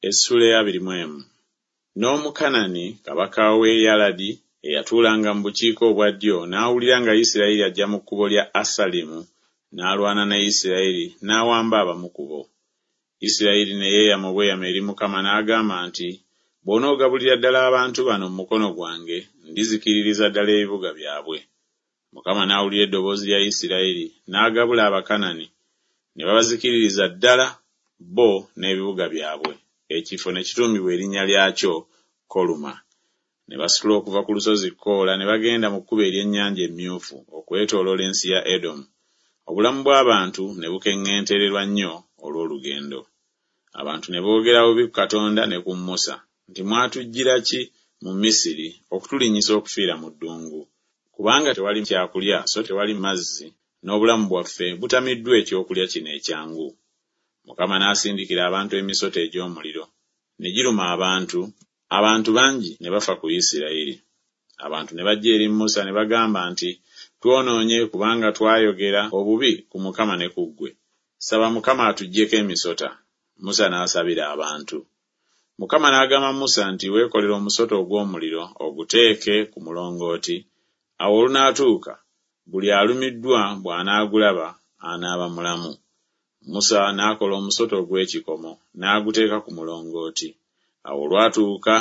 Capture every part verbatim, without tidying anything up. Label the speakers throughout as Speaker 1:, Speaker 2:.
Speaker 1: Essula ey'abiri mu emu. N'Omukanani kabaka w'e Yaladi eyatuulanga mu bukiika obwa ddyo n'awulira nga Isirayiri ajja mu kkubo lya Asalimu, n'alwana ne Isirayiri n'awamba abamu ku bo. Isirayiri ne yeeyama obweyamo eri Mukama n'agamba nti, Bw'onoogabulira ddala abantu bano mu mukono gwange, ndizikiririza ddala ebibuga byabwe. Mukama n'awulira eddoboozi lya Isirayiri, n'agabula Abakanani, ne babazikiririza ddala bo n'ebibuga byabwe. Ekifo ne kituumibwa erinnya lyakyo Koluma. Ne basitula okuva ku lusozi Koola ne bagenda mu kkubo ery'Ennyanja Emmyufu okwetooloola ensi ya Edomu. Obulamu bw'abantu ne bukeŋŋentererwa nnyo olw'olugendo. Abantu ne boogera bubi ku Katonda ne ku Musa nti, Mwatuggyira ki mu Misiri okutulinnyisa okufiira mu ddungu? Kubanga tewali kyakulya so tewali mazzi, n'obulamu bwaffe butamiddwa ekyokulya kino ekyangu. Mukama n'asindikira abantu emisota egy'omuliro, ne giruma abantu, abantu bangi ne bafa ku Isirayiri. Abantu ne bajja eri Musa ne bagamba nti, Twonoonye kubanga twayogera obubi ku Mukama ne ku ggwe. Saba Mukama atuggyeko emisota. Musa n'asabira abantu. Mukama n'agamba Musa nti, Weekolere omusota ogw'omuliro oguteeke ku mulongooti, awo olunaatuuka buli alumiddwa bw'anaagulaba anaaba mulamu. Musa n'akola omusota ogw'ekikomo n'aguteeka ku mulongooti. Awo olwatuuka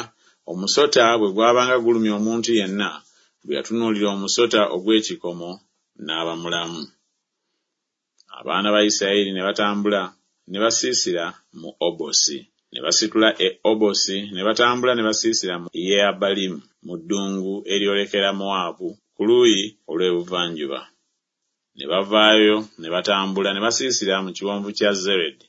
Speaker 1: omusota bwe gwabanga gulumye omuntu yenna, bwe yatunuulira omusota ogw'ekikomo n'aba mulamu. Abaana ba Isirayiri ne batambula ne basiisira mu Obosi. Ne basitula e Obosi ne batambula ne basiisira mu Yeabalimu mu ddungu eryolekera Mowaabu ku luuyi olw'ebuvanjuba. Ne bavaayo ne batambula ne basiisira mu kiwonvu kya Zeredi.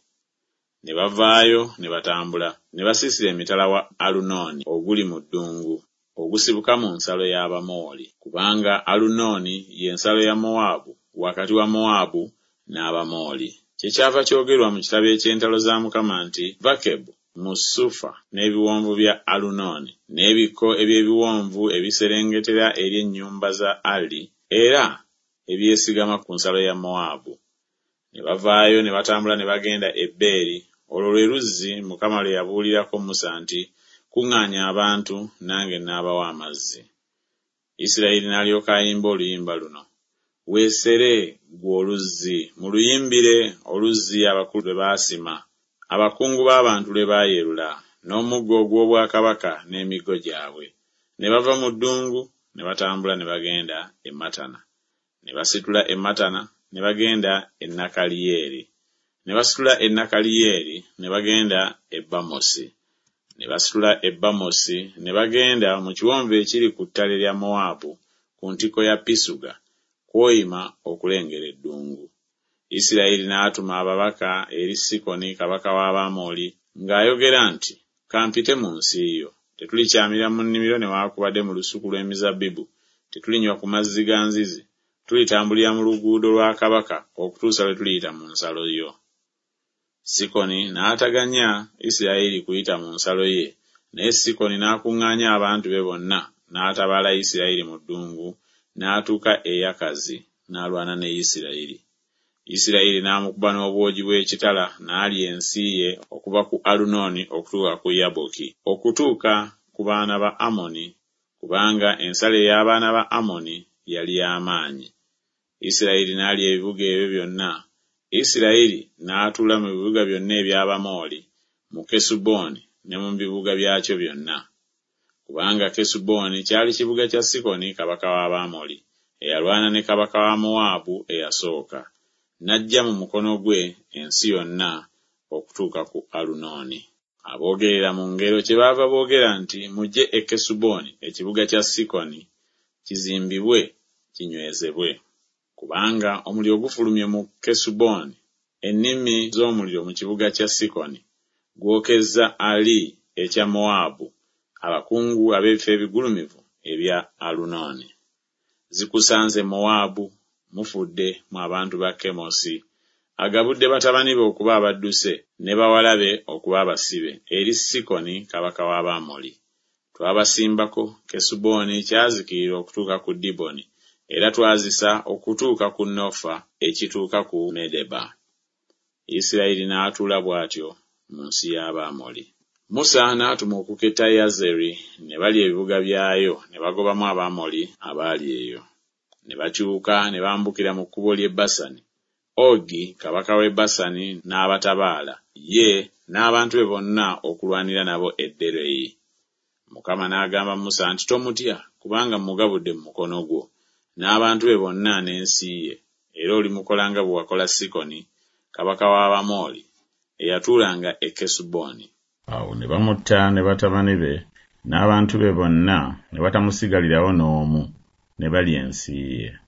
Speaker 1: Ne bavaayo ne batambula ne basiisira emitala wa Alunooni oguli mu ddungu ogusibuka mu nsalo y'Abamooli, kubanga Alunooni ye nsalo ya Mowaabu wakati wa Mowaabu n'Abamooli. Kyekyava kyogerwa mu kitabo eky'entalo za Mukama nti, Vakebu mu Sufa n'ebiwonvu bya Alunooni n'ebikko eby'ebiwonvu ebiserengetera eri ennyumba za Ali era ebyesigama ku nsalo ya Mowaabu. Ne bavaayo ne batambula ne bagenda e Beeri, olwo lwe luzzi Mukama lwe yabuulirako Musa nti, Kuŋŋaanya abantu nange n'abawa amazzi. Isirayiri n'alyoka ayimba oluyimba luno. Weesere ggwe oluzzi, muluyimbire oluzzi abakulu lwe baasima, abakungu b'abantu lwe baayerula, n'omuggo ogw'obwakabaka n'emiggo gyabwe. Ne bava mu ddungu ne batambula ne bagenda e Matana. Ne basitula e Matana ne bagenda e Nakaliyeeri. Ne basitula e Nakaliyeeri ne bagenda e Bamosi. Ne basitula e Bamosi ne bagenda mu kiwonvu ekiri ku ttale lya Mowaabu ku ntikko ya Pisuga, kw'oyima okulengera eddungu. Isirayiri n'atuma ababaka eri Sikoni kabaka w'Abamoli ng'ayogera nti, Kampite mu nsi yo. Tetulikyamira mu nnimiro newaakubadde mu lusuku lw'emizabbibu, tetulinywa ku mazzi ga nzizi, tulitambulira mu luguudo lwa kabaka okutuusa lwe tuliyita mu nsalo yo. Sikoni n'ataganya Isirayiri kuyita mu nsalo ye, naye Sikoni n'akuŋŋaanya abantu be bonna n'atabaala Isirayiri mu ddungu, n'atuuka e Yakazi n'alwana ne Isirayiri. Isirayiri n'amukuba n'obwogi bw'ekitala n'alya ensi ye okuva ku Alunooni okutuuka ku Yaboki, okutuuka ku baana ba Amoni, kubanga ensalo ey'abaana ba Amoni yali y'amaanyi. Isirayiri n'alya ebibuga ebyo byonna. Isirayiri n'atuula mu bibuga byonna eby'Abamooli, mu Kesubooni ne mu bibuga byakyo byonna. Kubanga Kesubooni kyali kibuga kya Sikoni kabaka w'Abamoli, eyalwana ne kabaka wa Mowaabu eyasooka, n'aggya mu mukono gwe ensi yonna okutuuka ku Alunooni. Aboogerera mu ngero kyebaava boogera nti, Mujje e Kesubooni, ekibuga kya Sikoni, kizimbibwe kinywezebwe. Kubanga omuliro gufulumye mu Kesubooni, ennimi z'omuliro mu kibuga kya Sikoni, gwokezza Ali ekya Mowaabu, abakungu ab'ebifo ebigulumivu ebya Alunooni. Zikusanze Mowaabu, mufudde mu abantu ba Kemosi. Agabudde batabani be okuba abadduse ne bawala be okuba abasibe eri Sikoni kabaka w'Abamoli. Twabasimbako Kesubooni kyazikirira okutuuka ku Diboni, era twazisa okutuuka ku Nofa ekituuka ku Medeba. Isirayiri n'atuula bw'atyo mu nsi y'Abamoli. Musa n'atuma okuketta Yazeri, ne balya ebibuga byayo, ne bagobamu Abamoli abaali eyo. Ne bakyuka ne bambukira mu kkubo ly'e Basani. Ogi kabaka w'e Basani n'abatabaala, ye n'abantu be bonna okulwanira nabo e Ederei. Mukama n'agamba Musa nti, Tomutya, kubanga mmugabudde mu mukono gwo, n'abantu be bonna n'ensi ye, era olimukola nga bwe wakola Sikoni kabaka w'Abamoli, eyatuulanga e Kesuboni.
Speaker 2: Awo ne bamutta ne batabani be n'abantu be bonna, ne watamusigalirawo n'omu, ne balya ensi ye.